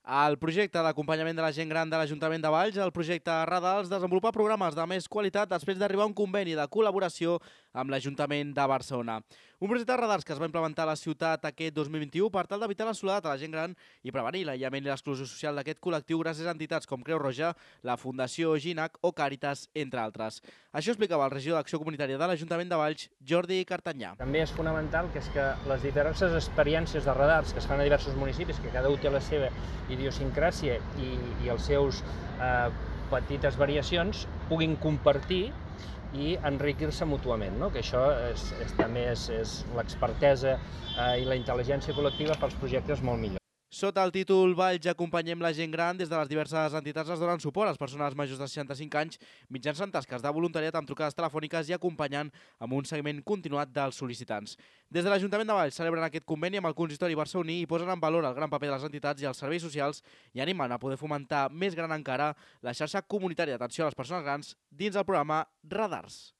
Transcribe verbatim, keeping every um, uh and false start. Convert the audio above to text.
El projecte d'acompanyament de la gent gran de l'Ajuntament de Valls, el projecte Radars, desenvolupa programes de més qualitat després d'arribar a un conveni de col·laboració amb l'Ajuntament de Barcelona. Un projecte de radars que es va implementar a la ciutat aquest dos mil vint-i-u per tal d'evitar la soledat a la gent gran i prevenir l'aïllament i l'exclusió social d'aquest col·lectiu gràcies a entitats com Creu Roja, la Fundació Ginac o Càritas, entre altres. Això explicava el regidor d'Acció Comunitària de l'Ajuntament de Valls, Jordi Cartanyà. També és fonamental que és que les diverses experiències de radars que es fan a diversos municipis, que cada un té la seva idiosincràsia i, i els seus eh, petites variacions, puguin compartir i enriquir-se mútuament, no? Que això és, és, també és, és l'expertesa eh, i la intel·ligència col·lectiva pels projectes molt millor. Sota el títol Valls acompanyem la gent gran, des de les diverses entitats es donen suport a les persones majors de seixanta-cinc anys mitjançant tasques de voluntariat amb trucades telefòniques i acompanyant amb un seguiment continuat dels sol·licitants. Des de l'Ajuntament de Valls celebren aquest conveni amb el consistori barceloní i posen en valor el gran paper de les entitats i els serveis socials i animen a poder fomentar més gran encara la xarxa comunitària d'atenció a les persones grans dins el programa Radars.